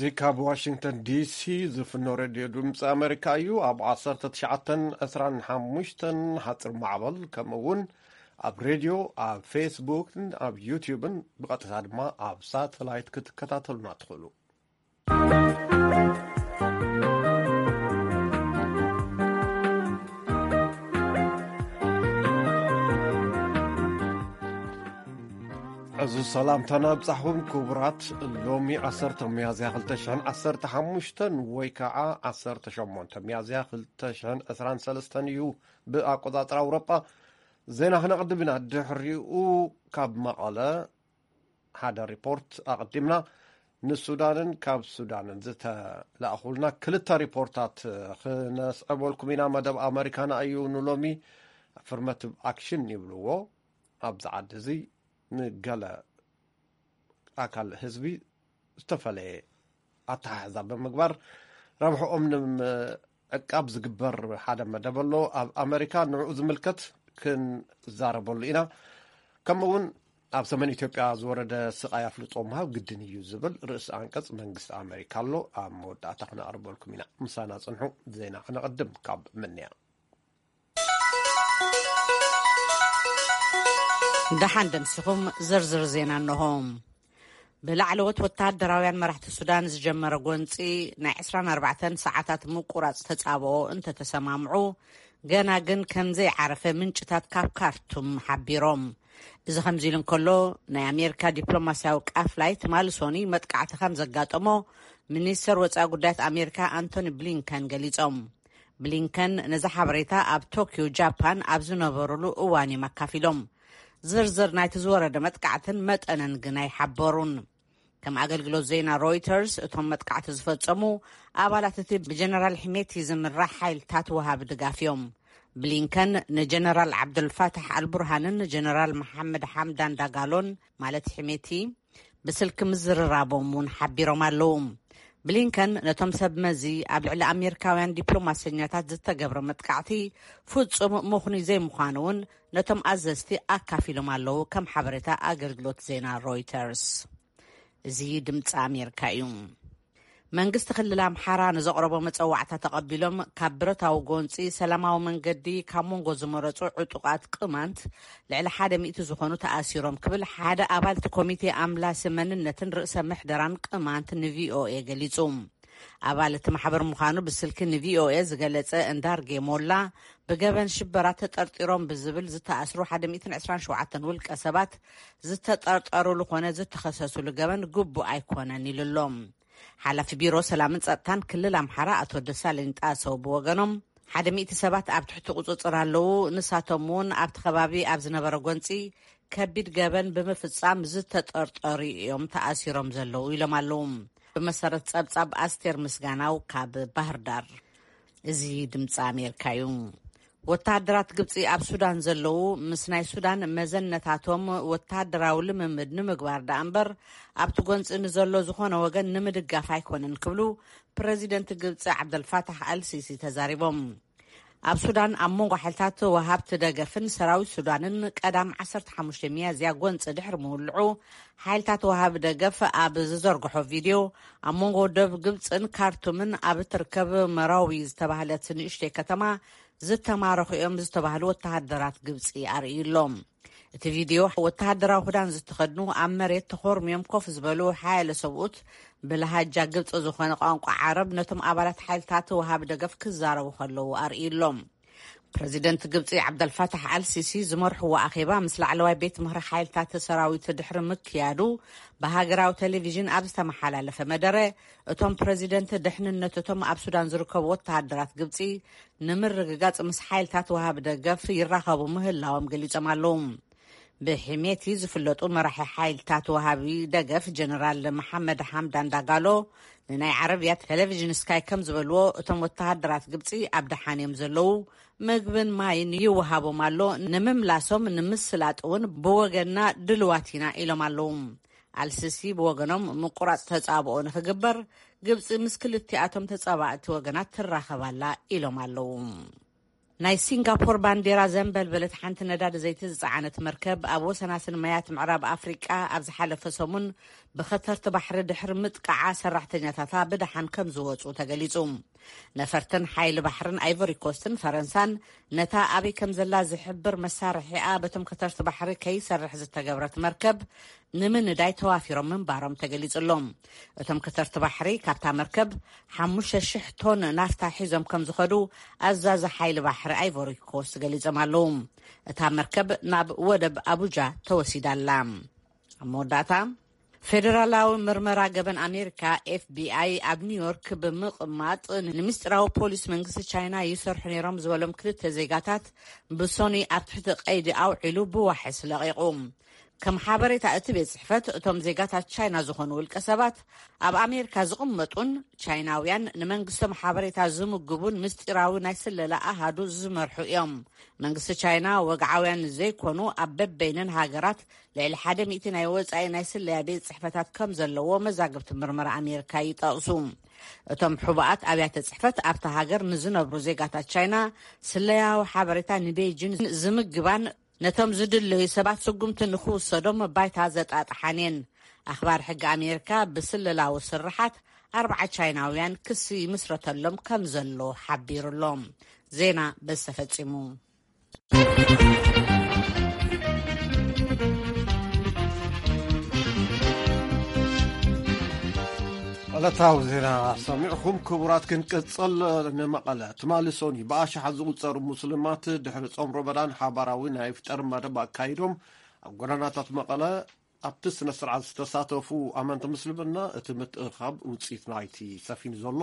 እዚ ካብ ዋሽንግተን ዲሲ ዝፍኖ ሬድዮ ድምፂ ኣሜሪካ እዩ። ኣብ ዓሰርተ ትሽዓተን ዕስራን ሓሙሽተን ሓፂር ማዕበል፣ ከምኡ እውን ኣብ ሬድዮ፣ ኣብ ፌስቡክን ኣብ ዩትዩብን፣ ብቐጥታ ድማ ኣብ ሳተላይት ክትከታተሉና ትኽእሉ። እዚ ሰላምታና ኣብጻሕኹም ክቡራት። ሎሚ ዓሰርተ ሚያዝያ ክልተ ሽሕን ዓሰርተ ሓሙሽተን ወይ ከዓ ዓሰርተ ሸሞንተ ሚያዝያ ክልተ ሽሕን ዕስራን ሰለስተን እዩ ብኣቆጻጽራ ኣውሮጳ። ዜና ክነቕድም ኢና። ድሕሪኡ ካብ መቐለ ሓደ ሪፖርት ኣቐዲምና፣ ንሱዳንን ካብ ሱዳንን ዝተላእኹልና ክልተ ሪፖርታት ክነስዕበልኩም ኢና። መደብ ኣመሪካና እዩ ንሎሚ። ኣፍርማቲቭ ኣክሽን ይብልዎ። ኣብዚ ዓዲ እዚ ንገለ ኣካል ህዝቢ ዝተፈለየ ኣተሓሕዛ ብምግባር ረብሕኦም ንምዕቃብ ዝግበር ሓደ መደብ ኣሎ ኣብ ኣመሪካ። ንዕኡ ዝምልከት ክንዛረበሉ ኢና። ከምኡ እውን ኣብ ሰሜን ኢትዮጵያ ዝወረደ ስቓይ ኣፍልጦ ምሃብ ግድን እዩ ዝብል ርእሲ ኣንቀጽ መንግስቲ ኣመሪካ ኣሎ። ኣብ መወዳእታ ክነቕርበልኩም ኢና። ምሳና ጽንሑ። ዜና ክነቐድም ካብ ምንያ። ደሓን ደምሲኹም። ዝርዝር ዜና እንሆ። ብላዕለዎት ወተሃደራውያን መራሕቲ ሱዳን ዝጀመረ ጎንጺ ናይ ዕስራን ኣርባዕተን ሰዓታት ምቁራጽ ተጻብኦ እንተተሰማምዑ፣ ገና ግን ከም ዘይዓረፈ ምንጭታት ካብ ካርቱም ሓቢሮም። እዚ ከምዚ ኢሉ እንከሎ፣ ናይ ኣሜሪካ ዲፕሎማስያዊ ቃፍላይ ትማሊ ሶኒ መጥቃዕቲ ከም ዘጋጠሞ ሚኒስተር ወጻኢ ጉዳያት ኣሜሪካ ኣንቶኒ ብሊንከን ገሊጾም። ብሊንከን ነዚ ሓበሬታ ኣብ ቶክዮ ጃፓን ኣብ ዝነበሩሉ እዋን እዮም ኣካፊሎም። ዝርዝር ናይቲ ዝወረደ መጥቃዕትን መጠንን ግን ኣይሓበሩን። ከም ኣገልግሎት ዜና ሮይተርስ፣ እቶም መጥቃዕቲ ዝፈጸሙ ኣባላት እቲ ብጀነራል ሒሜቲ ዝምራሕ ሓይልታት ወሃቢ ድጋፍ እዮም። ብሊንከን ንጀነራል ዓብዱልፋታሕ ኣልቡርሃንን ጀነራል መሓመድ ሓምዳን ዳጋሎን፣ ማለት ሒሜቲ፣ ብስልኪ ምዝርራቦም እውን ሓቢሮም ኣለዉ። ብሊንከን ነቶም ሰብ መዚ ኣብ ልዕሊ ኣሜሪካውያን ዲፕሎማሰኛታት ዝተገብረ መጥቃዕቲ ፍጹም ምኽኑይ ዘይምዃኑ እውን ነቶም ኣዘዝቲ ኣካፊሎም ኣለዉ፣ ከም ሓበሬታ ኣገልግሎት ዜና ሮይተርስ። እዚ ድምፂ ኣሜሪካ እዩ። መንግስቲ ክልል ኣምሓራ ንዘቕረቦ መፀዋዕታ ተቐቢሎም ካብ ብረታዊ ጎንፂ ሰላማዊ መንገዲ ካብ መንጎ ዝመረፁ ዕጡቓት ቅማንት ልዕሊ ሓደ ሚእቲ ዝኾኑ ተኣሲሮም ክብል ሓደ ኣባል እቲ ኮሚቴ ኣምላሲ መንነትን ርእሰ ምሕደራን ቅማንት ንቪኦኤ ገሊፁ። ኣባል እቲ ማሕበር ምዃኑ ብስልኪ ንቪኦኤ ዝገለጸ እንዳርጌ ሞላ፣ ብገበን ሽበራ ተጠርጢሮም ብዝብል ዝተኣስሩ ሓደ ሚእትን ዕስራን ሸውዓተን ውልቀ ሰባት ዝተጠርጠሩሉ ኮነ ዝተኸሰሱሉ ገበን ግቡእ ኣይኮነን ኢሉ ኣሎ። ሓላፊ ቢሮ ሰላምን ጸጥታን ክልል ኣምሓራ ኣቶ ደሳለኝ ጣሰው ብወገኖም፣ ሓደ ሚእቲ ሰባት ኣብ ትሕቲ ቁጽጽር ኣለዉ። ንሳቶም እውን ኣብቲ ከባቢ ኣብ ዝነበረ ጎንጺ ከቢድ ገበን ብምፍጻም ዝተጠርጠሩ እዮም ተኣሲሮም ዘለዉ ኢሎም ኣለዉ። ብመሰረት ጸብጻብ ኣስቴር ምስጋናው ካብ ባህር ዳር። እዚ ድምፂ ኣሜሪካ እዩ። ወተሃደራት ግብፂ ኣብ ሱዳን ዘለዉ ምስ ናይ ሱዳን መዘነታቶም ወተሃደራዊ ልምምድ ንምግባር ደኣ እምበር ኣብቲ ጎንፂ ንዘሎ ዝኾነ ወገን ንምድጋፍ ኣይኮነን ክብሉ ፕረዚደንት ግብፂ ዓብደልፋታሕ ኣልሲሲ ተዛሪቦም። ኣብ ሱዳን ኣብ መንጎ ሓይልታት ወሃብቲ ደገፍን ሰራዊት ሱዳንን ቀዳም ዓሰርተ ሓሙሽተ ሚያዝያ ጎንፂ ድሕሪ ምውልዑ፣ ሓይልታት ወሃቢ ደገፍ ኣብ ዝዘርግሖ ቪድዮ፣ ኣብ መንጎ ደቡብ ግብፅን ካርቱምን ኣብ እትርከብ መራዊ ዝተባህለት ንእሽተይ ከተማ ዝተማረኹ እዮም ዝተባህሉ ወተሃደራት ግብፂ ኣርእዩ ኣሎ። እቲ ቪድዮ፣ ወተሃደራዊ ክዳን ዝተኸድኑ ኣብ መሬት ተኾርምዮም ኮፍ ዝበሉ ሓያለ ሰብኡት፣ ብለሃጃ ግብፂ ዝኾነ ቋንቋ ዓረብ ነቶም ኣባላት ሓይልታት ወሃቢ ደገፍ ክዛረቡ ከለዉ ኣርእዩ ኣሎ። ፕረዚደንት ግብፂ ዓብደልፋታሕ ኣልሲሲ ዝመርሕዎ ኣኼባ ምስ ላዕለዋይ ቤት ምኽሪ ሓይልታት ሰራዊት ድሕሪ ምክያዱ፣ ብሃገራዊ ቴሌቪዥን ኣብ ዝተመሓላለፈ መደረ፣ እቶም ፕረዚደንት ድሕንነት እቶም ኣብ ሱዳን ዝርከቡ ወተሃደራት ግብፂ ንምርግጋፅ ምስ ሓይልታት ወሃቢ ደገፍ ይራኸቡ ምህላዎም ገሊጾም ኣለዉ። ብሕሜቲ ዝፍለጡ መራሒ ሓይልታት ወሃቢ ደገፍ ጀነራል መሓመድ ሓምዳን ዳጋሎ ንናይ ዓረብያ ቴሌቪዥን ስካይ ከም ዝበልዎ፣ እቶም ወተሃደራት ግብፂ ኣብ ደሓን እዮም ዘለዉ፣ ምግብን ማይን ይወሃቦም ኣሎ፣ ንምምላሶም ንምስላጥ እውን ብወገንና ድልዋት ኢና ኢሎም ኣለዉ። ኣልሲሲ ብወገኖም ምቁራፅ ተፃብኦ ንክግበር ግብፂ ምስ ክልቲኣቶም ተፃባእቲ ወገናት ትራኸብ ኣላ ኢሎም ኣለዉ። ናይ ሲንጋፖር ባንዴራ ዘንበልበለት ሓንቲ ነዳዲ ዘይቲ ዝጸዓነት መርከብ ኣብ ወሰናስን ማያት ምዕራብ ኣፍሪቃ ኣብ ዝሓለፈ ሰሙን ብኸተርቲ ባሕሪ ድሕሪ ምጥቃዓ ሰራሕተኛታታ ብደሓን ከም ዝወጹ ተገሊጹ። ነፈርትን ሓይሊ ባሕርን ኣይቮሪ ኮስትን ፈረንሳን ነታ ኣበይ ከም ዘላ ዝሕብር መሳርሒኣ በቶም ከተርቲ ባሕሪ ከይሰርሕ ዝተገብረት መርከብ ንምንዳይ ተዋፊሮም ምንባሮም ተገሊጹ ኣሎ። እቶም ከተርቲ ባሕሪ ካብታ መርከብ ሓሙሽተ ሽሕ ቶን ናፍታ ሒዞም ከም ዝኸዱ ኣዛዚ ሓይሊ ባሕሪ ኣይቮሪ ኮስት ገሊጾም ኣለዉ። እታ መርከብ ናብ ወደብ ኣቡጃ ተወሲዳ ኣላ። ኣብ መወዳእታ፣ ፌደራላዊ ምርመራ ገበን ኣሜሪካ፣ ኤፍ ቢ ኣይ፣ ኣብ ኒውዮርክ ብምቕማጥ ንምስጢራዊ ፖሊስ መንግስቲ ቻይና ይሰርሑ ነይሮም ዝበሎም ክልተ ዜጋታት ብሶኒ ኣብ ትሕቲ ቀይዲ ኣውዒሉ ብዋሕስ ለቒቑ። ከም ሓበሬታ እቲ ቤት ጽሕፈት፣ እቶም ዜጋታት ቻይና ዝኾኑ ውልቀ ሰባት ኣብ ኣሜሪካ ዝቕመጡን ቻይናውያን ንመንግስቶም ሓበሬታ ዝምግቡን ምስጢራዊ ናይ ስለላ ኣሃዱ ዝመርሑ እዮም። መንግስቲ ቻይና ወግዓውያን ዘይኮኑ ኣብ በበይነን ሃገራት ልዕሊ ሓደ ሚእቲ ናይ ወጻኢ ናይ ስለያ ቤት ጽሕፈታት ከም ዘለዎ መዛግብቲ ምርመራ ኣሜሪካ ይጠቕሱ። እቶም ሕቡኣት ኣብያተ ጽሕፈት ኣብታ ሃገር ንዝነብሩ ዜጋታት ቻይና ስለያዊ ሓበሬታ ንቤጂን ዝምግባን ነቶም ዝድለዩ ሰባት ስጉምቲ ንኽውሰዶም ባይታ ዘጣጥሓን እየን። ኣኽባር ሕጊ ኣሜሪካ ብስለላዊ ስርሓት ኣርባዓ ቻይናውያን ክሲ ይምስረተሎም ከም ዘሎ ሓቢሩ ኣሎ። ዜና በዚ ተፈጺሙ። ዕለታዊ ዜና ሰሚዕኹም። ክቡራት፣ ክንቅጽል። ንመቐለ ትማሊ ሶኒ ብኣሽሓት ዝቑጸሩ ሙስሊማት ድሕሪ ጾም ረመዳን ሓባራዊ ናይ ፍጠር መደብ ኣካይዶም ኣብ ጎደናታት መቐለ ኣብቲ ስነ ስርዓት ዝተሳተፉ ኣመንቲ ምስልምና እቲ ምትእኻብ ውፅኢት ናይቲ ሰፊኑ ዘሎ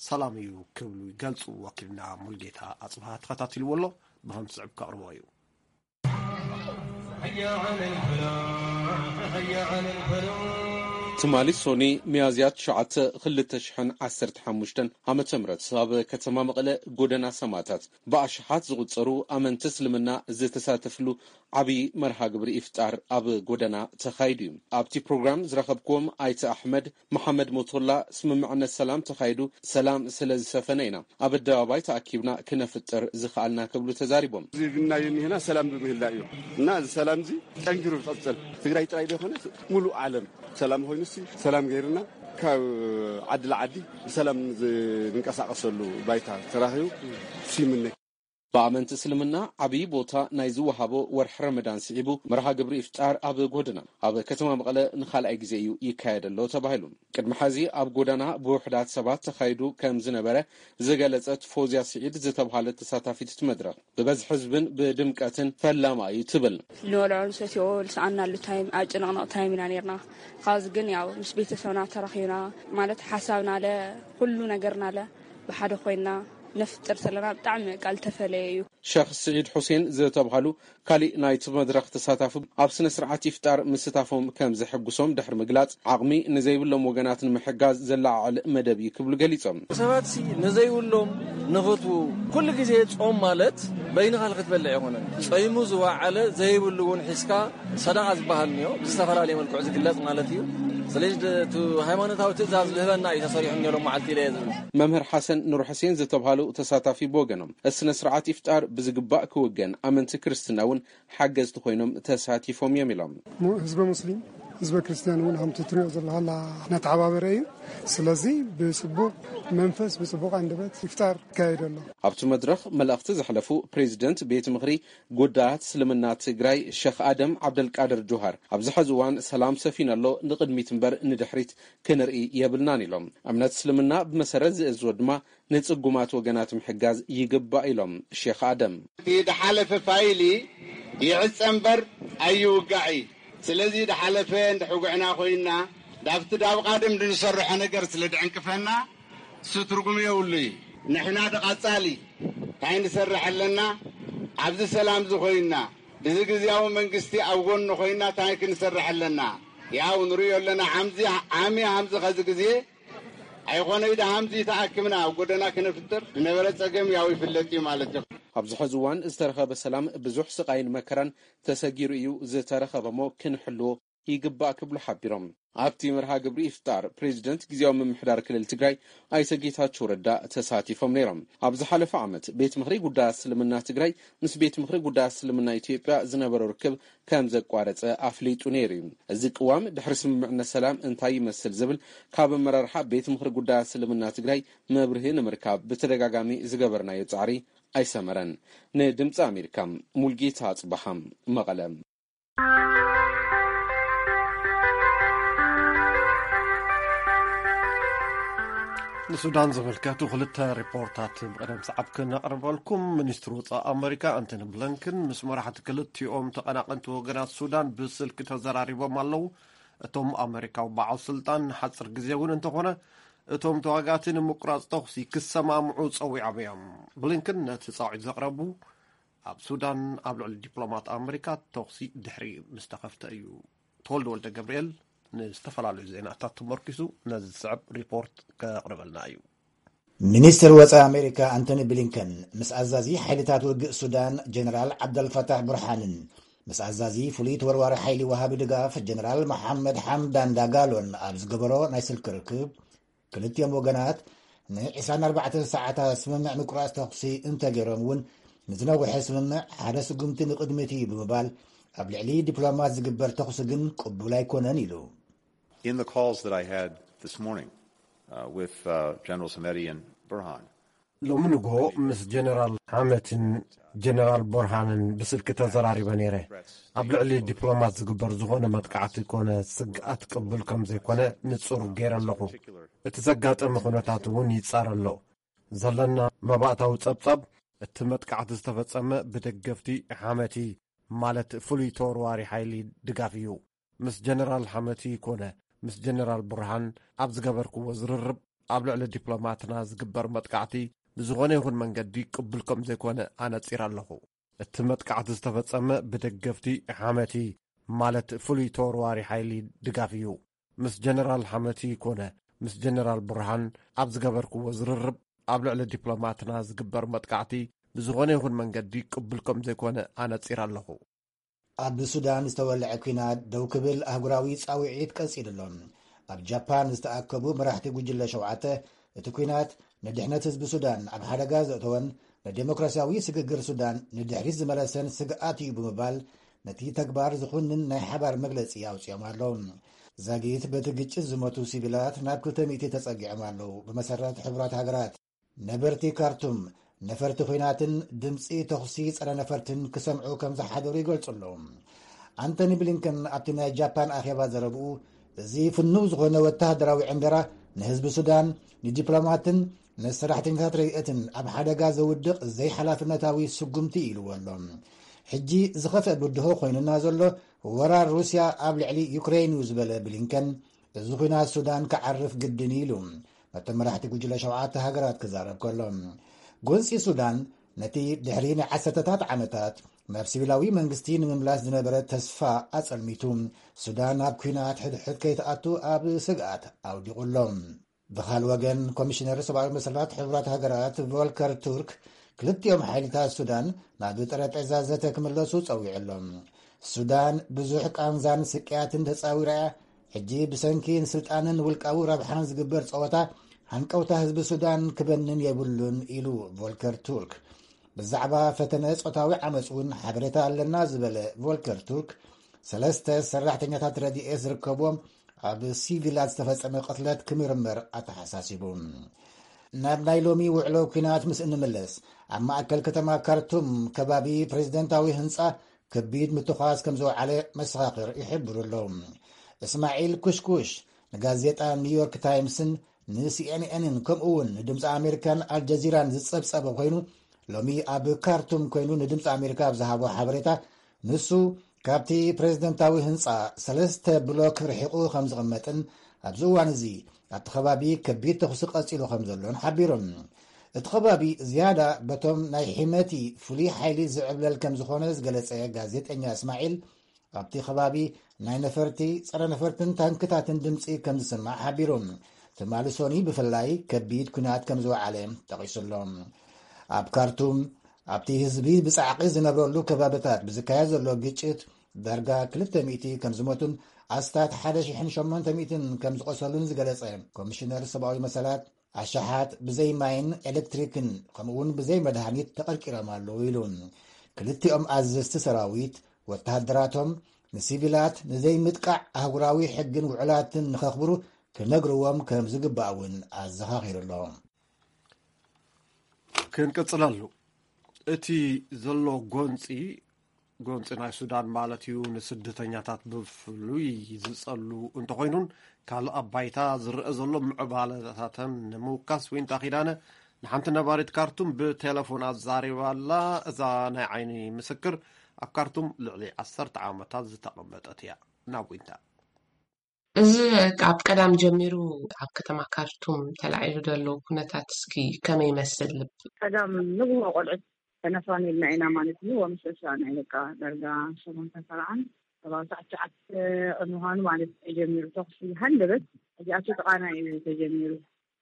ሰላም እዩ ክብሉ ይገልፁ። ወኪልና ሙልጌታ ኣፅብሃ ተኸታቲልዎ ኣሎ፣ ብኸም ዝስዕብ ከቕርቦ እዩ። ትማሊ ሶኒ ሚያዝያ ትሽዓተ ክልተ ሽሕን ዓሰርተ ሓሙሽተን ዓመተ ምህረት ኣብ ከተማ መቐለ ጎደና ሰማእታት ብኣሽሓት ዝቑጸሩ ኣመንቲ እስልምና ዝተሳተፍሉ ዓብዪ መርሃ ግብሪ ኢፍጣር ኣብ ጎደና ተኻይዱ እዩ። ኣብቲ ፕሮግራም ዝረኸብክዎም ኣይተ ኣሕመድ መሓመድ ሞቶላ፣ ስምምዕነት ሰላም ተኻይዱ፣ ሰላም ስለ ዝሰፈነ ኢና ኣብ ኣደባባይ ተኣኪብና ክነፍጥር ዝኸኣልና ክብሉ ተዛሪቦም። እዚ ግና የሚሄና ሰላም ብምህላ እዩ እና እዚ ሰላም እዚ ጠንኪሩ ይቐጽል። ትግራይ ጥራይ ዘይኮነስ ሙሉእ ዓለም ሰላም ኮይኑሲ ሰላም ገይርና ካብ ዓዲ ለዓዲ ብሰላም ዝንቀሳቐሰሉ ባይታ ተራኺቡ ሲምነ። ብኣመንቲ እስልምና ዓብዪ ቦታ ናይ ዝወሃቦ ወርሒ ረመዳን ስዒቡ መርሃ ግብሪ ኢፍጣር ኣብ ጎደና ኣብ ከተማ መቐለ ንኻልኣይ ግዜ እዩ ይካየድ ኣሎ ተባሂሉ። ቅድሚ ሐዚ ኣብ ጎደና ብውሑዳት ሰባት ተኻይዱ ከም ዝነበረ ዝገለጸት ፎዝያ ስዒድ ዝተብሃለት ተሳታፊት እቲ መድረኽ፣ ብበዝሒ ህዝብን ብድምቀትን ፈላማ እዩ ትብል። ንበልዖ ንሰትዮ ዝሰኣናሉ ታይም፣ ኣብ ጭንቕንቕ ታይም ኢና ነርና። ካብዚ ግን ያው ምስ ቤተሰብና ተራኺብና፣ ማለት ሓሳብና ለ፣ ኩሉ ነገርና ለ ብሓደ ኮይንና ነፍጥር ዘለና ብጣዕሚ ቃል ተፈለየ እዩ። ሸኽ ስዒድ ሑሴን ዝተብሃሉ ካሊእ ናይቲ መድረኽ ተሳታፊ፣ ኣብ ስነ ስርዓት ኢፍጣር ምስታፎም ከም ዘሐጉሶም ድሕሪ ምግላጽ፣ ዓቕሚ ንዘይብሎም ወገናት ንምሕጋዝ ዘለዓዕል መደብ እዩ ክብሉ ገሊጾም። ሰባት ሲ ንዘይብሎም ንኽትቡ፣ ኩሉ ግዜ ጾም ማለት በይንኻ ክትበልዕ ኣይኮነን። ጸይሙ ዝወዓለ ዘይብሉ እውን ሒዝካ ሰደቓ ዝበሃል እኒኦ፣ ብዝተፈላለየ መልክዑ ዝግለጽ ማለት እዩ። ስለዚ ድ-፣ እቲ ሃይማኖታዊ ትእዛዝ ዝህበና እዩ ተሰሪሑ እኒኦ ሎም መዓልቲ ኢለ እየ ዝብል። መምህር ሓሰን ኑር ሕሴን ዝተብሃሉ ተሳታፊ ብወገኖም፣ እቲ ስነ ስርዓት ኢፍጣር ብዝግባእ ክውገን፣ ኣመንቲ ክርስትና እውን ሓገዝቲ ኮይኖም ተሳቲፎም እዮም ኢሎም። ሙ-፣ ህዝበ ሙስሊም፣ ህዝበ ክርስቲያን እውን ከምቲ ትሪኦ ዘለኻ እናተሓባበረ እዩ። ስለዚ ብጽቡቕ መንፈስ፣ ብጽቡቕ ኣንደበት ኢፍጣር ይካየድ ኣሎ። ኣብቲ መድረኽ መልእኽቲ ዘሕለፉ ፕሬዚደንት ቤት ምኽሪ ጉዳያት እስልምና ትግራይ ሸኽ ኣደም ዓብደልቃድር ጆሃር፣ ኣብዚ ሐዚ እዋን ሰላም ሰፊኑ ኣሎ፣ ንቕድሚት እምበር ንድሕሪት ክንርኢ የብልናን ኢሎም። እምነት እስልምና ብመሰረት ዝእዝዞ ድማ ንጽጉማት ወገናት ምሕጋዝ ይግባእ ኢሎም ሼኽ ኣደም። እቲ ድሓለፈ ፋይሊ ይዕጸ እምበር ኣይውጋዕ እዩ። ስለዚ ድሓለፈ እንድሕጉዕና ኮይንና፣ ዳብቲ ዳብ ቓደም ድንሰርሖ ነገር ስለ ድዕንቅፈና፣ እሱ ትርጉም የብሉ እዩ። ንሕና ድቐጻሊ እንታይ ንሰርሕ ኣለና? ኣብዚ ሰላም እዚ ኮይንና፣ እዚ ግዝያዊ መንግስቲ ኣብ ጎኑ ኮይንና እንታይ ክንሰርሕ ኣለና? ያው ንርእዮ ኣለና፣ ሓምዚ፣ ዓሚ ሓምዚ ኸዚ ግዜ ኣይኾነይ ደሃምዚ ተኣክብና ኣብ ጎደና ክነፍጥር ዝነበረ ጸገም ያው ይፍለጥ እዩ ማለት እዩ። ኣብዚ ሕዚ እዋን ዝተረኸበ ሰላም ብዙሕ ስቓይን መከራን ተሰጊሩ እዩ ዝተረኸበ እሞ ክንሕልዎ ይግባእ ክብሉ ሓቢሮም። ኣብቲ መርሃ ግብሪ ኢፍጣር ፕሬዚደንት ግዜያዊ ምምሕዳር ክልል ትግራይ ኣይተ ጌታቸው ረዳ ተሳቲፎም ነይሮም። ኣብ ዝሓለፈ ዓመት ቤት ምኽሪ ጉዳያት እስልምና ትግራይ ምስ ቤት ምኽሪ ጉዳያት እስልምና ኢትዮጵያ ዝነበሮ ርክብ ከም ዘቋረጸ ኣፍሊጡ ነይሩ እዩ። እዚ ቅዋም ድሕሪ ስምምዕነት ሰላም እንታይ ይመስል ዝብል ካብ ኣመራርሓ ቤት ምኽሪ ጉዳያት እስልምና ትግራይ መብርሂ ንምርካብ ብተደጋጋሚ ዝገበርናዮ ጻዕሪ ኣይሰመረን። ንድምፂ ኣሜሪካ ሙልጌታ ኣጽበሃም መቐለ። ንሱዳን ዝምልከቱ ክልተ ሪፖርታት ብቕደም ሰዓብ ክነቕርበልኩም። ሚኒስትሪ ወፃኢ ኣመሪካ ኣንቶኒ ብሊንከን ምስ መራሕቲ ክልቲኦም ተቐናቐንቲ ወገናት ሱዳን ብስልኪ ተዘራሪቦም ኣለዉ። እቶም ኣመሪካዊ በዓል ስልጣን ንሓፂር ግዜ እውን እንተኾነ እቶም ተዋጋእቲ ንምቁራፅ ተኹሲ ክሰማምዑ ፀዊዖም እዮም። ብሊንከን ነቲ ፃውዒት ዘቕረቡ ኣብ ሱዳን ኣብ ልዕሊ ዲፕሎማት ኣመሪካ ተኹሲ ድሕሪ ምስ ተኸፍተ እዩ። ተወልደ ወልደ ገብርኤል ንዝተፈላለዩ ዜናታት ተመርኪሱ ነዚ ዝስዕብ ሪፖርት ከቕርበልና እዩ። ሚኒስትር ወፃኢ ኣሜሪካ ኣንቶኒ ብሊንከን ምስ ኣዛዚ ሓይልታት ውግእ ሱዳን ጀነራል ዓብደልፈታሕ ቡርሓንን ምስ ኣዛዚ ፍሉይ ተወርዋሪ ሓይሊ ወሃቢ ድጋፍ ጀነራል መሓመድ ሓምዳን ዳጋሎን ኣብ ዝገበሮ ናይ ስልኪ ርክብ፣ ክልቲኦም ወገናት ን ዕስራን ኣርባዕተን ሰዓታት ስምምዕ ምቁራፅ ተኹሲ እንተገይሮም እውን፣ ንዝነውሐ ስምምዕ ሓደ ስጉምቲ ንቕድሚት እዩ ብምባል፣ ኣብ ልዕሊ ዲፕሎማት ዝግበር ተኹሲ ግን ቅቡል ኣይኮነን ኢሉ። In the calls that I had this morning, uh, with, uh, Generals Hameti and Burhan, ሎሚ ንግሆ ምስ ጀነራል ሓመቲን ጀነራል ቦርሃንን ብስልኪ ተዘራሪበ ነይረ። ኣብ ልዕሊ ዲፕሎማት ዝግበር ዝኾነ መጥቃዕቲ ኮነ ስግኣት ቅቡል ከም ዘይኮነ ንጹር ገይረ ኣለኹ። እቲ ዘጋጠመ ኩነታት እውን ይጻረ ኣሎ። ዘለና መባእታዊ ጸብጻብ፣ እቲ መጥቃዕቲ ዝተፈጸመ ብደገፍቲ ሓመቲ፣ ማለት ፍሉይ ተወርዋሪ ሓይሊ ድጋፍ እዩ። ምስ ጀነራል ሓመቲ ኮነ ምስ ጀነራል ቡርሃን ኣብ ዝገበርክዎ ዝርርብ፣ ኣብ ልዕሊ ዲፕሎማትና ዝግበር መጥቃዕቲ ብዝኾነ ይኹን መንገዲ ቅቡል ከም ዘይኮነ ኣነጺረ ኣለኹ። እቲ መጥቃዕቲ ዝተፈጸመ ብደገፍቲ ሓመቲ፣ ማለት ፍሉይ ተወርዋሪ ሓይሊ ድጋፍ እዩ። ምስ ጀነራል ሓመቲ ኮነ ምስ ጀነራል ቡርሃን ኣብ ዝገበርክዎ ዝርርብ፣ ኣብ ልዕሊ ዲፕሎማትና ዝግበር መጥቃዕቲ ብዝኾነ ይኹን መንገዲ ቅቡል ከም ዘይኮነ ኣነጺረ ኣለኹ። ኣብ ሱዳን ዝተወልዐ ኲናት ደው ክብል ኣህጉራዊ ጻውዒት ቀጺሉ ኣሎ። ኣብ ጃፓን ዝተኣከቡ መራሕቲ ጉጅለ ሸውዓተ፣ እቲ ኲናት ንድሕነት ህዝቢ ሱዳን ኣብ ሓደጋ ዘእተወን ንዴሞክራሲያዊ ስግግር ሱዳን ንድሕሪት ዝመለሰን ስግኣት እዩ ብምባል፣ ነቲ ተግባር ዝኹንን ናይ ሓባር መግለጺ ኣውጺኦም ኣለዉ። ዛጊት በቲ ግጭት ዝሞቱ ሲቪላት ናብ ክልተ ሚእቲ ተጸጊዖም ኣለዉ። ብመሰረት ሕቡራት ሃገራት፣ ነበርቲ ካርቱም ነፈርቲ ኲናትን ድምጺ ተኹሲ ጸረ ነፈርትን ክሰምዑ ከም ዝሓደሩ ይገልጹ ኣለዉ። ኣንቶኒ ብሊንከን ኣብቲ ናይ ጃፓን ኣኼባ ዘረብኡ፣ እዚ ፍኑው ዝኾነ ወተሃደራዊ ዕንደራ ንህዝቢ ሱዳን፣ ንዲፕሎማትን ንሰራሕተኛታት ረድኤትን ኣብ ሓደጋ ዘውድቕ ዘይሓላፍነታዊ ስጉምቲ እዩ ኢልዎ ኣሎ። ሕጂ ዝኸፍአ ብድሆ ኮይኑና ዘሎ ወራር ሩስያ ኣብ ልዕሊ ዩክሬን እዩ ዝበለ ብሊንከን፣ እዚ ኲናት ሱዳን ክዓርፍ ግድን እዩ ኢሉ ነቶም መራሕቲ ጉጅለ ሸውዓተ ሃገራት ክዛረብ ከሎ፣ ጎንፂ ሱዳን ነቲ ድሕሪ ናይ ዓሰርተታት ዓመታት ናብ ሲቪላዊ መንግስቲ ንምምላስ ዝነበረ ተስፋ ኣጸልሚቱ፣ ሱዳን ናብ ኲናት ሕድሕድ ከይትኣቱ ኣብ ስግኣት ኣውዲቑ ኣሎ። ብኻል ወገን፣ ኮሚሽነር ሰብኣዊ መሰላት ሕቡራት ሃገራት ቮልከር ቱርክ ክልቲኦም ሓይልታት ሱዳን ናብ ጠረጴዛ ዘተ ክምለሱ ጸዊዑ ኣሎ። ሱዳን ብዙሕ ቃንዛን ስቅያትን ተጻዊራ እያ። ሕጂ ብሰንኪ ንስልጣንን ውልቃዊ ረብሓን ዝግበር ጸወታ ሃንቀውታ ህዝቢ ሱዳን ክበንን የብሉን ኢሉ ቮልከር ቱርክ። ብዛዕባ ፈተነ ጾታዊ ዓመጽ እውን ሓበሬታ ኣለና ዝበለ ቮልከር ቱርክ፣ ሰለስተ ሰራሕተኛታት ረድኤት ዝርከብዎም ኣብ ሲቪላት ዝተፈጸመ ቅትለት ክምርመር ኣተሓሳሲቡ። ናብ ናይ ሎሚ ውዕሎ ኲናት ምስ እንምለስ፣ ኣብ ማእከል ከተማ ካርቱም ከባቢ ፕሬዚደንታዊ ህንጻ ከቢድ ምትኳስ ከም ዝወዓለ መሰኻኽር ይሕብሩ ኣለዉ። እስማዒል ኩሽኩሽ ንጋዜጣ ኒውዮርክ ታይምስን ንሲኤንኤንን ከምኡ እውን ንድምፂ ኣሜሪካን ኣልጀዚራን ዝጸብጸበ ኮይኑ፣ ሎሚ ኣብ ካርቱም ኮይኑ ንድምፂ ኣሜሪካ ኣብ ዝሃቦ ሓበሬታ፣ ንሱ ካብቲ ፕሬዚደንታዊ ህንፃ ሰለስተ ብሎክ ርሒቑ ከም ዝቕመጥን ኣብዚ እዋን እዚ ኣብቲ ከባቢ ከቢድ ተኹሲ ቀፂሉ ከም ዘሎን ሓቢሩ። እቲ ከባቢ ዝያዳ በቶም ናይ ሒመቲ ፍሉይ ሓይሊ ዝዕብለል ከም ዝኾነ ዝገለጸ ጋዜጠኛ እስማዒል፣ ኣብቲ ከባቢ ናይ ነፈርቲ፣ ጸረ ነፈርትን ታንክታትን ድምፂ ከም ዝስማዕ ሓቢሩ። ትማሊ ሶኒ ብፍላይ ከቢድ ኲናት ከም ዝወዓለ ጠቒሱ ኣሎ። ኣብ ካርቱም ኣብቲ ህዝቢ ብጻዕቂ ዝነብረሉ ከባቢታት ብዝካየድ ዘሎ ግጭት ዳርጋ ክልተ ሚእቲ ከም ዝሞቱን ኣስታት ሓደ ሽሕን ሸሞንተ ሚእትን ከም ዝቖሰሉን ዝገለጸ ኮሚሽነር ሰብኣዊ መሰላት፣ ኣሽሓት ብዘይ ማይን ኤሌክትሪክን ከምኡውን ብዘይ መድሃኒት ተቐርቂሮም ኣለዉ ኢሉ። ክልቲኦም ኣዘዝቲ ሰራዊት ወተሃደራቶም ንሲቪላት ንዘይምጥቃዕ ኣህጉራዊ ሕግን ውዕላትን ንኸኽብሩ ክነግርዎም ከም ዝግባእ እውን ኣዘኻኺሩ ኣሎ። ክንቅጽለሉ እቲ ዘሎ ጎንጺ ጎንጺ ናይ ሱዳን ማለት እዩ ንስደተኛታት ብፍሉይ ዝጸሉ እንተኾይኑን ካልእ ኣብ ባይታ ዝረአ ዘሎ ምዕባለታተን ንምውካስ ዊንታ ኪዳነ ንሓንቲ ነባሪት ካርቱም ብቴሌፎን ኣዛሪባ ኣላ። እዛ ናይ ዓይኒ ምስክር ኣብ ካርቱም ልዕሊ ዓሰርተ ዓመታት ዝተቐመጠት እያ። ናብ ዊንታ እዚ ካብ ቀዳም ጀሚሩ ኣብ ከተማ ካርቱም ተላዒሉ ዘሎ ኩነታት እስኪ ከመይ ይመስል? ቀዳም ንግሆ ቆልዑት ተነፋኒልና ኢና ማለት እዩ። ወምሸሻ ናይ በቃ ደርጋ ሸሞንተ ሰብዓን ሰብዓ ትሽዓተ ቅድሚ ምዃኑ ማለት ተጀሚሩ ተኹሲ ሃንደበት እዚኣቱ ጥቓና እዩ ተጀሚሩ።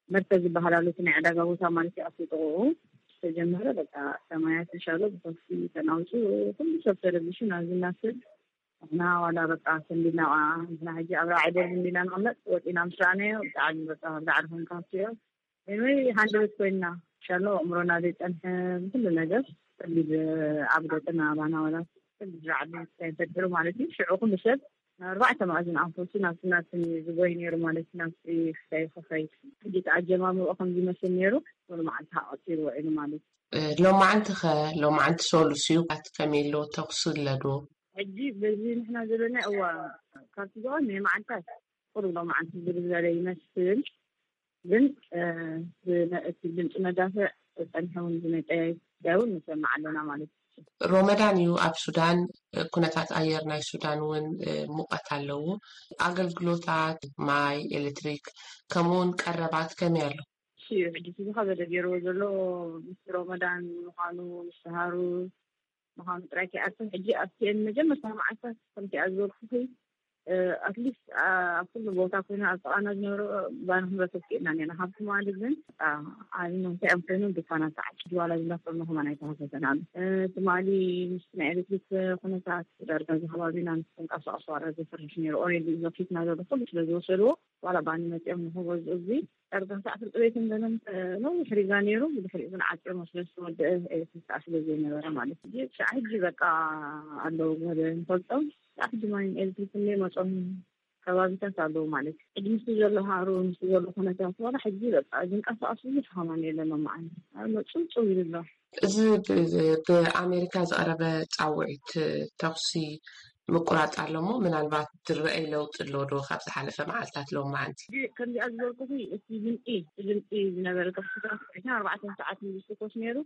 መርከዝ ዝበሃል ኣሎ እቲ ናይ ዕዳጋ ቦታ ማለት እዩ ኣብቲ ጥቕኡ ዝተጀመረ በቃ ሰማያት እንሻሎ ብተኹሲ ተናውፁ ኩሉ ሰብ ተረቢሹ ናብዚ እናስል ንሕና ዋላ በቃ ሰንቢድና ንሕና ሕጂ ኣብ ራዕይ ደርቢ እንዲና ንቕመጥ ወፂና ምስ ረኣናዮ ብጣዕሚ በቃ ዳዕሪ ኮይንካ ሃብትዮ ወይ ሃንደበት ኮይንና ሻሎ ኣእምሮና ዘይፀንሐ ብኩሉ ነገር ከቢድ ኣብ ገፅና ኣባና ዋላ ከቢድ ራዕዲ እንታይ ፈጢሩ ማለት እዩ ሽዑ ኩሉ ሰብ ኣርባዕተ መኣዝን ኣንፈቱ ናብቲ ናትን ዝጎይ ነይሩ ማለት እዩ ናብቲ ክሳይ ክኸይ ሕጂ እቲ ኣጀማምርኦ ከም ዝመስል ነይሩ ኩሉ መዓልቲ ሃቐፂሩ ውዒሉ ማለት እዩ ሎማዓንቲ ኸ ሎማዓንቲ ሰሉስ እዩ ባት ከመይ ኣሎ ተኹሲ ኣለዶ ሕጂ በዚ ንሕና ዘለና እዋ ካብቲ ዝቐነየ መዓልታት ቁሩብ ሎማዓንቲ ዝብል ዝበለ ይመስል ግን እቲ ድምፂ መዳፍዕ ፀኒሑ እውን ዝመፀ ጉዳይ እውን ንሰምዕ ኣለና ማለት እዩ። ሮመዳን እዩ ኣብ ሱዳን ኩነታት ኣየር ናይ ሱዳን እውን ሙቐት ኣለዎ። ኣገልግሎታት ማይ፣ ኤሌክትሪክ ከምኡ እውን ቀረባት ከመይ ኣሎ? እሱ እዩ ሕጂ ዝኸበደ ገይርዎ ዘሎ ምስ ሮመዳን ምዃኑ ምስ ሰሃሩ ምዃኑ ጥራይ ከይኣክል ሕጂ ኣብቲአን መጀመርታ መዓልታት ከምቲኣ ዝበልኩኺ ኣትሊስት ኣብ ኩሉ ቦታ ኮይና ኣብ ጥቓና ዝነበሩ ባና ክንረክብ ክኢልና ኔርና ካብ ትማሊ ግን ዓብና እንታይ እዮም ኮይኖም ድኳናት ተዓፂዱ ዋላ ዝነፈርና ከማን ኣይተኸፈተን ኣሎ ትማሊ ምስ ናይ ኤሌክትሪክ ኩነታት ዳርጋ እዚ ከባቢና ምስ ተንቀሳቐሱ ዋላ ዘፍርሕ ነይሩ ኦሬዲ ዘኪትና ዘሎ ኩሉ ስለ ዝወሰድዎ ዋላ ባኒ መፂኦም ንክገዝኡ እዚ ዳርጋ ክሳዕ ፍርቂ ቤት እንደነም ነዊሕ ሪጋ ነይሩ ብድሕሪኡ ግን ዓፂዮሞ ስለ ዝተወደአ ኤሌክትሪክ ከዓ ስለ ዘይነበረ ማለት እዩ ክሳዕ ሕጂ በቃ ኣለዉ ገለ ንፈልጦም ክሳዕ ሕጂ ማይን ኤሌክትሪክ እንደ መፆም ከባቢታት ኣለዉ ማለት እዩ ሕጂ ምስ ዘሎ ሃሩ ምስ ዘሎ ኩነታት ዋላ ሕጂ በቃ ዝንቀሳቀስ ብዙሕ ከማን የለን መዓል መፁ ፅው ይብሎ እዚ ብኣሜሪካ ዝቐረበ ፃውዒት ተኹሲ ምቁራፅ ኣሎ እሞ ምናልባት ዝረአይ ለውጢ ኣሎ ዶ ካብ ዝሓለፈ መዓልታት ሎማዓንቲ? ከምዚኣ ዝበልኩኺ እቲ ድምፂ እቲ ድምፂ ዝነበረ ተኽስታት ዕስራን ኣርባዕተን ሰዓት እዩ ዝትኮስ ነይሩ።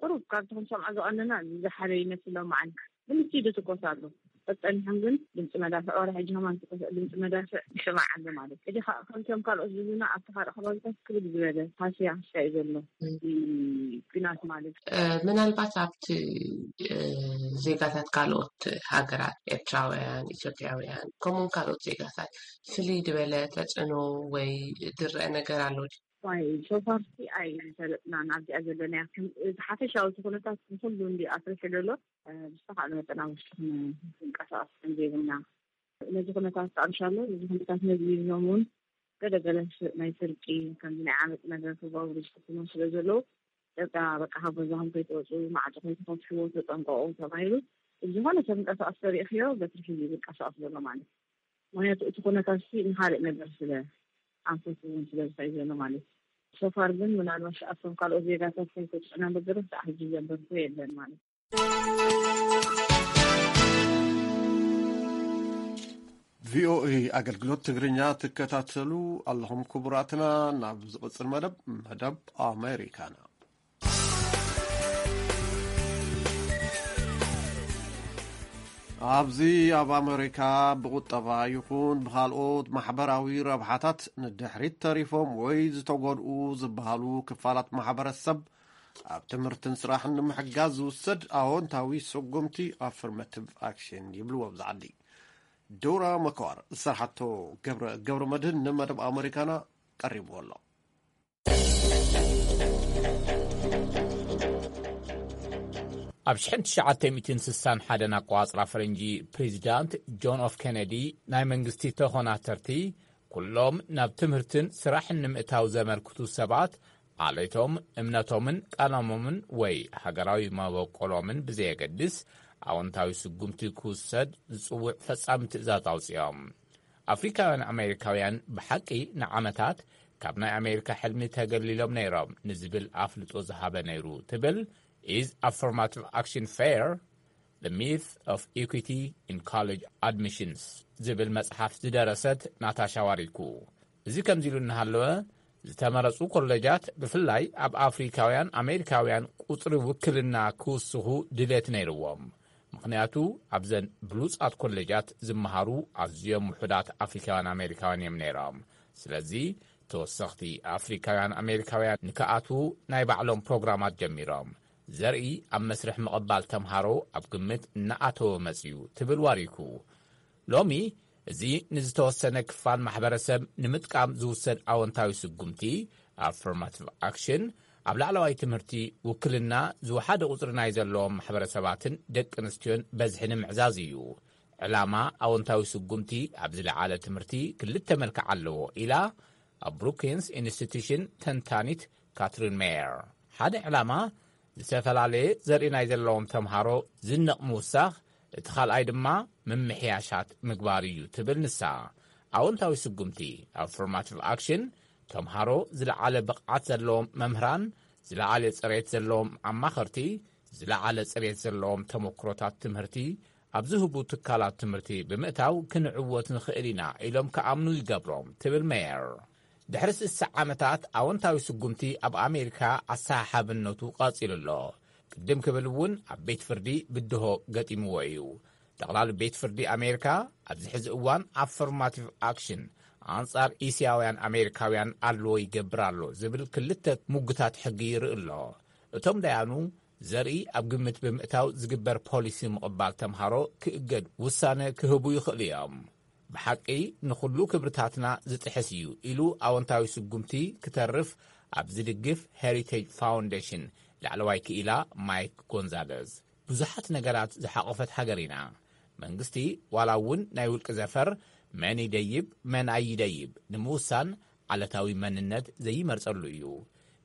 ቁሩብ ካብቲ ክንሰምዖ ዝቐነና ዝሓለ ይመስል ሎማዓንቲ ግን እስቲል ይትኮስ ኣሎ። ጸኒሖም ግን ድምፂ መዳፍዕ ዋላ ሕጂ ከማን ድምፂ መዳፍዕ ይስማዕ ኣሎ ማለት ሕጂ ከምቶም ካልኦት ዝብሉና ኣብቲ ካልእ ከባቢታት ክብድ ዝበለ ሃስያ ሃስያ እዩ ዘሎ እቲ ኲናት ማለት እዩ። ምናልባት ኣብቲ ዜጋታት ካልኦት ሃገራት ኤርትራውያን፣ ኢትዮጵያውያን ከምኡውን ካልኦት ዜጋታት ፍልይ ዝበለ ተፅዕኖ ወይ ዝረአ ነገር ኣሎ ድዩ? ዋይ ሶፋር ሲ ኣይ ዝፈለጥና ናብዚኣ ዘለናያ ከም እቲ ሓፈሻዊ እቲ ኩነታት ንኩሉ እንዲ ኣፍሪሑ ዘሎ ብዝተኻእለ መጠን ኣብ ውሽጢ ክንንቀሳቐስ ከም ዘይብልና ነዚ ኩነታት ተኣምሻሎ እዚ ኩነታት ነዚ ኢሎም እውን ገለ ገለ ናይ ስርቂ ከምዚ ናይ ዓመፅ ነገር ክገብሩ ዝፍትኑ ስለ ዘለዉ ደቃ በቃ ካብ ገዛኹም ከይትወፁ ማዕፆ ከይትፈትሕዎ ተጠንቀቑ ተባሂሉ ዝኾነ ሰብ እንቀሳቐስ ተሪእኽዮ በትሪ ሒዙ ዝንቀሳቐስ ዘሎ ማለት እዩ። ምክንያቱ እቲ ኩነታት ሲ ንካልእ ነገር ስለ ኣንፈት እውን ስለ ዝኸይ ዘሎ ማለት እዩ። ሶፋር ግን ምናልባሽ ኣብቶም ካልኦት ዜጋታት ከይተፅዕና በገረ ክሳዕ ሕጂ ዘንበርኩ የለን ማለት እዩ። ቪኦኤ ኣገልግሎት ትግርኛ ትከታተሉ ኣለኹም ክቡራትና። ናብ ዝቕፅል መደብ መደብ ኣሜሪካና። ኣብዚ ኣብ ኣሜሪካ ብቁጠባ ይኹን ብኻልኦት ማሕበራዊ ረብሓታት ንድሕሪት ተሪፎም ወይ ዝተጎድኡ ዝበሃሉ ክፋላት ማሕበረሰብ ኣብ ትምህርትን ስራሕን ንምሕጋዝ ዝውሰድ ኣዎንታዊ ስጉምቲ ኣፍርማቲቭ ኣክሽን ይብልዎ ኣብዚ ዓዲ። ዶራ መከዋር ዝሰርሓቶ ገብረ ገብረ መድህን ንመደብ ኣሜሪካና ቀሪብዎ ኣሎ። ኣብ ሽሕን ትሽዓተ ሚእትን ስሳን ሓደን ኣቋጽራ ፈረንጂ፣ ፕሬዚዳንት ጆን ኦፍ ኬነዲ ናይ መንግስቲ ተኾናተርቲ ኩሎም ናብ ትምህርትን ስራሕን ንምእታው ዘመልክቱ ሰባት፣ ዓሌቶም፣ እምነቶምን ቀለሞምን ወይ ሃገራዊ መበቆሎምን ብዘየገድስ፣ ኣወንታዊ ስጉምቲ ክውሰድ ዝጽውዕ ፈጻሚ ትእዛዝ ኣውጺኦም። ኣፍሪካውያን ኣሜሪካውያን ብሓቂ ንዓመታት ካብ ናይ ኣሜሪካ ሕልሚ ተገሊሎም ነይሮም ንዝብል ኣፍልጦ ዝሃበ ነይሩ፣ ትብል Is Affirmative Action Fair? The Myth of Equity in College Admissions ዝብል መጽሓፍ ዝደረሰት ናታሻ ዋሪኩ። እዚ ከምዚ ኢሉ እናሃለወ፣ ዝተመረጹ ኮሌጃት ብፍላይ ኣብ ኣፍሪካውያን ኣሜሪካውያን ቁጽሪ ውክልና ክውስኹ ድሌት ነይርዎም። ምኽንያቱ ኣብዘን ብሉጻት ኮሌጃት ዝመሃሩ ኣዝዮም ውሑዳት ኣፍሪካውያን ኣሜሪካውያን እዮም ነይሮም። ስለዚ ተወሰኽቲ ኣፍሪካውያን ኣሜሪካውያን ንክኣትዉ ናይ ባዕሎም ፕሮግራማት ጀሚሮም። ዘርኢ ኣብ መስርሕ ምቕባል ተምሃሮ ኣብ ግምት እናኣተወ መጽዩ፣ ትብል ዋሪኩ። ሎሚ እዚ ንዝተወሰነ ክፋል ማሕበረሰብ ንምጥቃም ዝውሰድ ኣወንታዊ ስጉምቲ፣ ኣፍርማቲቭ ኣክሽን፣ ኣብ ላዕለዋይ ትምህርቲ ውክልና ዝወሓደ ቁጽሪ ናይ ዘለዎም ማሕበረሰባትን ደቂ ኣንስትዮን በዝሒ ንምዕዛዝ እዩ። ዕላማ ኣወንታዊ ስጉምቲ ኣብ ዝለዓለ ትምህርቲ ክልተ መልክዕ ኣለዎ ኢላ ኣብ ብሩኪንስ ኢንስቲትዩሽን ተንታኒት ካትሪን ሜየር። ሓደ ዕላማ ዝተፈላለየ ዘርኢ ናይ ዘለዎም ተምሃሮ ዝንቕ ምውሳኽ፣ እቲ ካልኣይ ድማ ምምሕያሻት ምግባር እዩ ትብል ንሳ። ኣወንታዊ ስጉምቲ፣ ኣፍርማቲቭ ኣክሽን፣ ተምሃሮ ዝለዓለ ብቕዓት ዘለዎም መምህራን፣ ዝለዓለ ጽሬት ዘለዎም ኣማኸርቲ፣ ዝለዓለ ጽሬት ዘለዎም ተመክሮታት ትምህርቲ ኣብ ዝህቡ ትካላት ትምህርቲ ብምእታው ክንዕወት ንኽእል ኢና ኢሎም ክኣምኑ ይገብሮም፣ ትብል ሜየር። ድሕሪ ስሳ ዓመታት ኣወንታዊ ስጉምቲ ኣብ ኣሜሪካ ኣሰሓሓብነቱ ቀጺሉ ኣሎ። ቅድም ክብል እውን ኣብ ቤት ፍርዲ ብድሆ ገጢምዎ እዩ። ጠቕላሊ ቤት ፍርዲ ኣሜሪካ ኣብዚ ሕዚ እዋን ኣፈርማቲቭ ኣክሽን ኣንጻር እስያውያን ኣሜሪካውያን ኣለዎ ይገብር ኣሎ ዝብል ክልተ ሙግታት ሕጊ ይርኢ ኣሎ። እቶም ዳያኑ ዘርኢ ኣብ ግምት ብምእታው ዝግበር ፖሊሲ ምቕባል ተምሃሮ ክእገድ ውሳነ ክህቡ ይኽእሉ እዮም። ብሓቂ ንኹሉ ክብርታትና ዝጥሕስ እዩ ኢሉ ኣወንታዊ ስጉምቲ ክተርፍ ኣብ ዝድግፍ ሄሪቴጅ ፋውንዴሽን ላዕለዋይ ክኢላ ማይክ ጎንዛለዝ። ብዙሓት ነገራት ዝሓቖፈት ሃገር ኢና። መንግስቲ ዋላ እውን ናይ ውልቂ ዘፈር መን ይደይብ መን ኣይደይብ ንምውሳን ዓለታዊ መንነት ዘይመርጸሉ እዩ።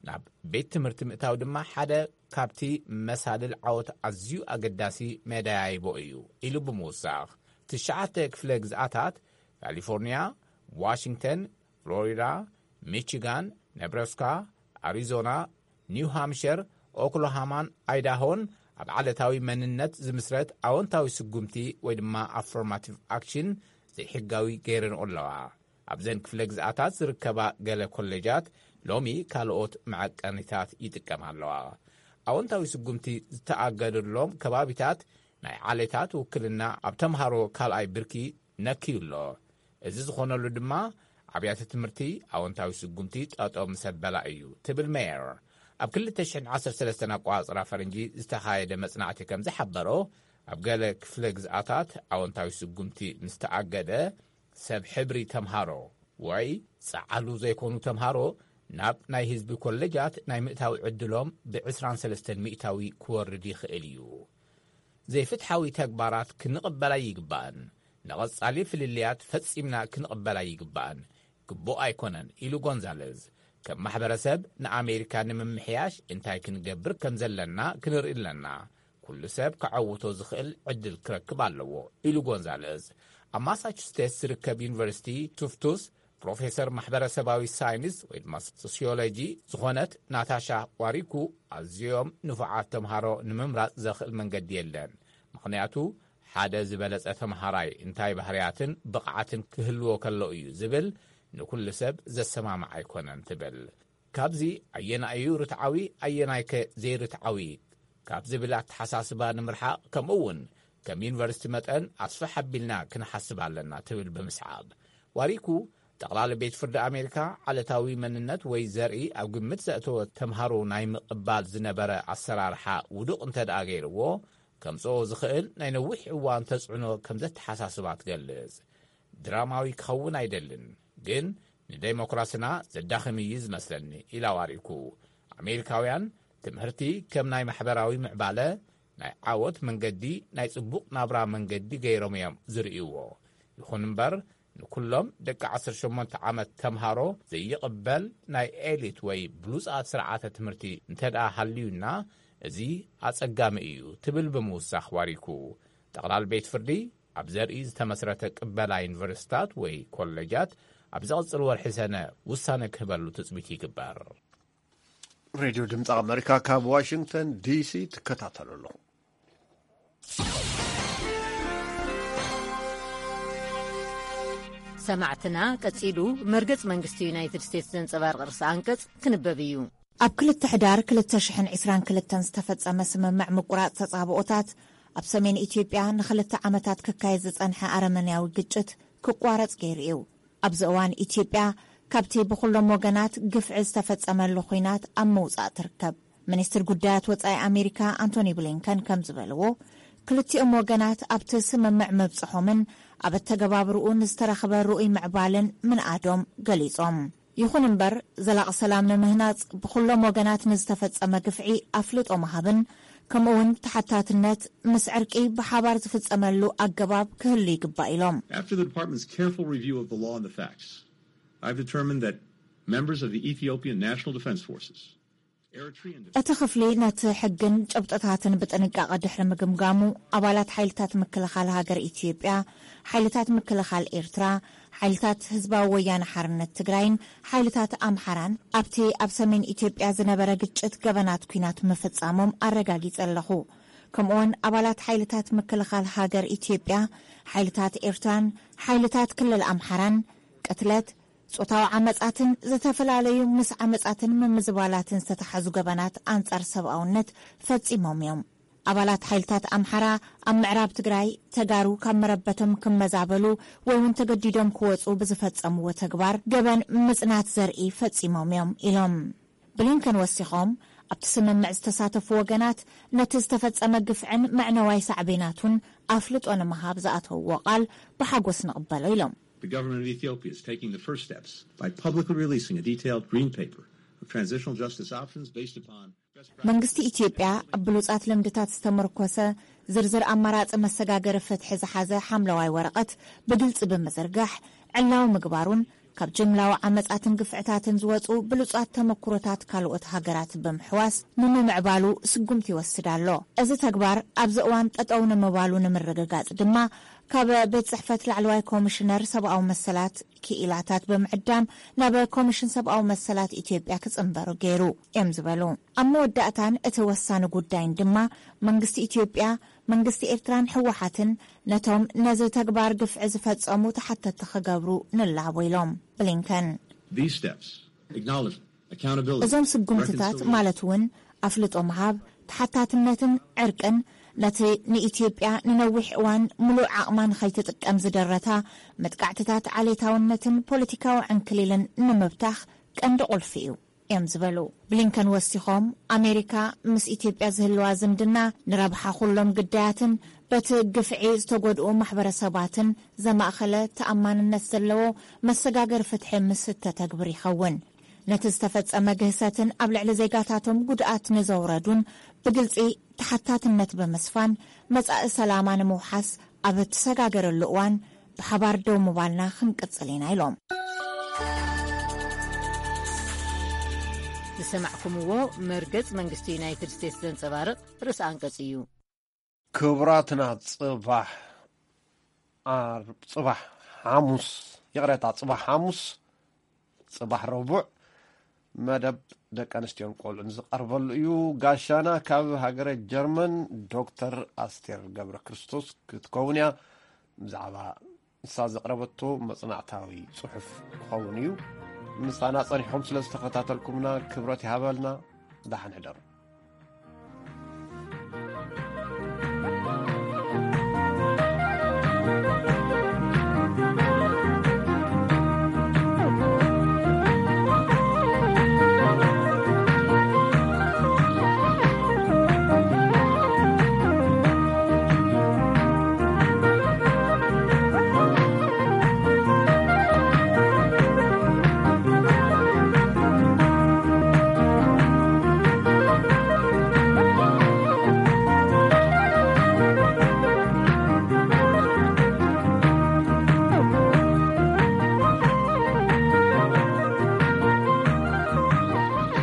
ናብ ቤት ትምህርቲ ምእታው ድማ ሓደ ካብቲ መሳልል ዓወት ኣዝዩ ኣገዳሲ መደያይቦ እዩ ኢሉ ብምውሳኽ፣ ትሽዓተ ክፍለ ግዝኣታት ካሊፎርኒያ፣ ዋሽንግተን፣ ፍሎሪዳ፣ ሚቺጋን፣ ነብራስካ፣ ኣሪዞና፣ ኒው ሃምሸር፣ ኦክላሃማን ኣይዳሆን ኣብ ዓለታዊ መንነት ዝምስረት ኣወንታዊ ስጉምቲ ወይ ድማ ኣፈርማቲቭ ኣክሽን ዘይሕጋዊ ገይረንኦ ኣለዋ። ኣብዘን ክፍለ ግዝኣታት ዝርከባ ገለ ኮሌጃት ሎሚ ካልኦት መዐቀኒታት ይጥቀማ ኣለዋ። ኣወንታዊ ስጉምቲ ዝተኣገደሎም ከባቢታት ናይ ዓሌታት ውክልና ኣብ ተምሃሮ ካልኣይ ብርኪ ነክዩ ኣሎ። እዚ ዝኾነሉ ድማ ኣብያተ ትምህርቲ ኣወንታዊ ስጉምቲ ጠጠው ምስ ኣበላ እዩ፣ ትብል ሜየር። ኣብ ክልተ ሽሕን ዓሰርተ ሰለስተን ኣቆጻጽራ ፈረንጂ ዝተኻየደ መጽናዕቲ ከም ዝሓበሮ፣ ኣብ ገለ ክፍለ ግዝኣታት ኣወንታዊ ስጉምቲ ምስ ተኣገደ፣ ሰብ ሕብሪ ተምሃሮ ወይ ጸዓሉ ዘይኮኑ ተምሃሮ ናብ ናይ ህዝቢ ኮሌጃት ናይ ምእታው ዕድሎም ብ ዕስራን ሰለስተን ሚእታዊ ክወርድ ይኽእል እዩ። ዘይፍትሓዊ ተግባራት ክንቕበል ኣይግባእን። ንቐጻሊ ፍልልያት ፈጺምና ክንቕበል ኣይግባእን። ግቡእ ኣይኮነን፣ ኢሉ ጎንዛለዝ። ከም ማሕበረሰብ ንኣሜሪካ ንምምሕያሽ እንታይ ክንገብር ከም ዘለና ክንርኢ ኣለና። ኩሉ ሰብ ክዓውቶ ዝኽእል ዕድል ክረክብ ኣለዎ፣ ኢሉ ጎንዛለዝ። ኣብ ማሳቹሴትስ ዝርከብ ዩኒቨርሲቲ ቱፍቱስ ፕሮፌሰር ማሕበረሰባዊ ሳይንስ ወይ ድማ ሶሲዮሎጂ ዝኾነት ናታሻ ዋሪኩ፣ ኣዝዮም ንፉዓት ተምሃሮ ንምምራጽ ዘኽእል መንገዲ የለን። ምኽንያቱ ሓደ ዝበለጸ ተምሃራይ እንታይ ባህርያትን ብቕዓትን ክህልዎ ከሎ እዩ ዝብል ንኩሉ ሰብ ዘሰማምዕ ኣይኮነን ትብል። ካብዚ ኣየናይ እዩ ርትዓዊ ኣየናይከ ዘይርትዓዊ ካብ ዝብል ኣተሓሳስባ ንምርሓቕ፣ ከምኡ እውን ከም ዩኒቨርሲቲ መጠን ኣስፍሕ ኣቢልና ክንሓስብ ኣለና ትብል ብምስዓብ፣ ዋሪኩ ጠቕላሊ ቤት ፍርዲ ኣሜሪካ ዓለታዊ መንነት ወይ ዘርኢ ኣብ ግምት ዘእተወ ተምሃሮ ናይ ምቕባል ዝነበረ ኣሰራርሓ ውዱቕ እንተ ደኣ ገይርዎ፣ ከምጽኦ ዝኽእል ናይ ነዊሕ እዋን ተጽዕኖ ከም ዘተሓሳስባ ትገልጽ። ድራማዊ ክኸውን ኣይደልን፣ ግን ንዴሞክራስና ዘዳኽም እዩ ዝመስለኒ፣ ኢላ ዋሪኩ። ኣሜሪካውያን ትምህርቲ ከም ናይ ማሕበራዊ ምዕባለ፣ ናይ ዓወት መንገዲ፣ ናይ ጽቡቕ ናብራ መንገዲ ገይሮም እዮም ዝርእይዎ። ይኹን እምበር፣ ንኩሎም ደቂ ዓሰርተ ሸሞንተ ዓመት ተምሃሮ ዘይቕበል ናይ ኤሊት ወይ ብሉጻት ስርዓተ ትምህርቲ እንተ ደኣ ሃልዩና፣ እዚ ኣጸጋሚ እዩ ትብል ብምውሳኽ ዋሪኩ። ጠቕላል ቤት ፍርዲ ኣብ ዘርኢ ዝተመስረተ ቅበላ ዩኒቨርሲታት ወይ ኮሌጃት ኣብ ዝቕጽል ወርሒ ሰነ ውሳነ ክህበሉ ትጽቢት ይግበር። ሬድዮ ድምፂ ኣመሪካ ካብ ዋሽንግተን ዲሲ ትከታተሉ ኣለኹ። ሰማዕትና፣ ቀጺሉ መርገጽ መንግስቲ ዩናይትድ ስቴትስ ዘንጸባርቕ ርእሰ ኣንቀጽ ክንበብ እዩ። ኣብ ክልተ ሕዳር ክልተ ሽሕን ዕስራን ክልተን ዝተፈጸመ ስምምዕ ምቁራጽ ተጻብኦታት፣ ኣብ ሰሜን ኢትዮጵያ ንኽልተ ዓመታት ክካየድ ዝጸንሐ ኣረመኔያዊ ግጭት ክቋረጽ ገይሩ እዩ። ኣብዚ እዋን ኢትዮጵያ ካብቲ ብኹሎም ወገናት ግፍዒ ዝተፈጸመሉ ኲናት ኣብ ምውጻእ ትርከብ። ሚኒስትር ጉዳያት ወጻኢ ኣሜሪካ ኣንቶኒ ብሊንከን ከም ዝበልዎ፣ ክልቲኦም ወገናት ኣብቲ ስምምዕ ምብጽሖምን ኣብ ኣተገባብርኡ ንዝተረኽበ ርኡይ ምዕባልን ምንኣዶም ገሊጾም። ይኹን እምበር፣ ዘላቒ ሰላም ንምህናጽ ብኹሎም ወገናት ንዝተፈጸመ ግፍዒ ኣፍልጦ ምሃብን ከምኡውን ተሓታትነት ምስ ዕርቂ ብሓባር ዝፍጸመሉ ኣገባብ ክህሉ ይግባእ ኢሎም። After the department's careful review of the law and the facts, I've determined that members of the Ethiopian National Defense Forces, Eritrean እቲ ክፍሊ ነቲ ሕግን ጭብጥታትን ብጥንቃቐ ድሕሪ ምግምጋሙ፣ ኣባላት ሓይልታት ምክልኻል ሃገር ኢትዮጵያ፣ ሓይልታት ምክልኻል ኤርትራ፣ ሓይልታት ህዝባዊ ወያነ ሓርነት ትግራይን ሓይልታት ኣምሓራን ኣብቲ ኣብ ሰሜን ኢትዮጵያ ዝነበረ ግጭት ገበናት ኲናት ምፍጻሞም ኣረጋጊጸ ኣለኹ። ከምኡውን ኣባላት ሓይልታት ምክልኻል ሃገር ኢትዮጵያ፣ ሓይልታት ኤርትራን ሓይልታት ክልል ኣምሓራን ቅትለት፣ ጾታዊ ዓመጻትን ዝተፈላለዩ ምስ ዓመጻትን ምምዝባላትን ዝተተሓዙ ገበናት ኣንጻር ሰብኣውነት ፈጺሞም እዮም። ኣባላት ሓይልታት ኣምሓራ ኣብ ምዕራብ ትግራይ ተጋሩ ካብ መረበቶም ክመዛበሉ ወይ እውን ተገዲዶም ክወጹ ብዝፈጸምዎ ተግባር ገበን ምጽናት ዘርኢ ፈጺሞም እዮም ኢሎም። ብሊንከን ወሲኾም፣ ኣብቲ ስምምዕ ዝተሳተፉ ወገናት ነቲ ዝተፈጸመ ግፍዕን መዕነዋይ ሳዕቤናቱን ኣፍልጦ ንምሃብ ዝኣተውዎ ቃል ብሓጎስ ንቕበሎ ኢሎም። The government of Ethiopia is taking the first steps by publicly releasing a detailed green paper of transitional justice options based upon መንግስቲ ኢትዮጵያ ኣብ ብሉጻት ልምድታት ዝተመርኮሰ ዝርዝር ኣማራጺ መሰጋገሪ ፍትሒ ዝሓዘ ሓምለዋይ ወረቐት ብግልጺ ብምዝርጋሕ ዕላዊ ምግባሩን ካብ ጅምላዊ ዓመጻትን ግፍዕታትን ዝወጹ ብሉጻት ተመኩሮታት ካልኦት ሃገራት ብምሕዋስ ንምምዕባሉ ስጉምቲ ይወስድ ኣሎ። እዚ ተግባር ኣብዚ እዋን ጠጠው ንምባሉ ንምርግጋጽ ድማ ካብ ቤት ጽሕፈት ላዕለዋይ ኮሚሽነር ሰብኣዊ መሰላት ክኢላታት ብምዕዳም ናብ ኮሚሽን ሰብኣዊ መሰላት ኢትዮጵያ ክጽንበሩ ገይሩ እዮም ዝበሉ። ኣብ መወዳእታን እቲ ወሳኒ ጉዳይን ድማ መንግስቲ ኢትዮጵያ፣ መንግስቲ ኤርትራን ህወሓትን ነቶም ነዚ ተግባር ግፍዒ ዝፈጸሙ ተሓተቲ ክገብሩ ንላቦ ኢሎም ብሊንከን። These steps, acknowledgement, accountability, እዞም ስጉምትታት reconciliation ማለት እውን ኣፍልጦ ምሃብ፣ ተሓታትነትን ዕርቅን ነቲ ንኢትዮጵያ ንነዊሕ እዋን ምሉእ ዓቕማ ንኸይትጥቀም ዝደረታ መጥቃዕትታት ዓሌታውነትን ፖለቲካዊ ዕንክሊልን ንምብታኽ ቀንዲ ቁልፊ እዩ እዮም ዝበሉ። ብሊንከን ወሲኾም፣ ኣሜሪካ ምስ ኢትዮጵያ ዝህልዋ ዝምድና ንረብሓ ኩሎም ግዳያትን በቲ ግፍዒ ዝተጎድኡ ማሕበረሰባትን ዘማእኸለ ተኣማንነት ዘለዎ መሰጋገሪ ፍትሒ ምስ እተተግብር ይኸውን። ነቲ ዝተፈጸመ ግህሰትን ኣብ ልዕሊ ዜጋታቶም ጉድኣት ንዘውረዱን ብግልጺ ተሓታትነት ብምስፋን መጻኢ ሰላማ ንምውሓስ ኣብ እትሰጋገረሉ እዋን ብሓባር ደው ምባልና ክንቅጽል ኢና ኢሎም። ዝሰማዕኩምዎ መርገጽ መንግስቲ ዩናይትድ ስቴትስ ዘንጸባርቕ ርእሰ ኣንቀጽ እዩ። ክቡራትና፣ ጽባሕ ዓርብ፣ ጽባሕ ሓሙስ፣ ይቕሬታ፣ ጽባሕ ሓሙስ፣ ጽባሕ ረቡዕ መደብ ደቂ ኣንስትዮን ቆልዑን ዝቐርበሉ እዩ። ጋሻና ካብ ሃገረ ጀርመን ዶክተር ኣስቴር ገብረ ክርስቶስ ክትከውን እያ። ብዛዕባ ንሳ ዘቕረበቶ መጽናዕታዊ ጽሑፍ ክኸውን እዩ። ምሳና ጸኒሕኩም ስለ ዝተኸታተልኩምና ክብረት ይሃበልና። ደሓን ሕደሩ።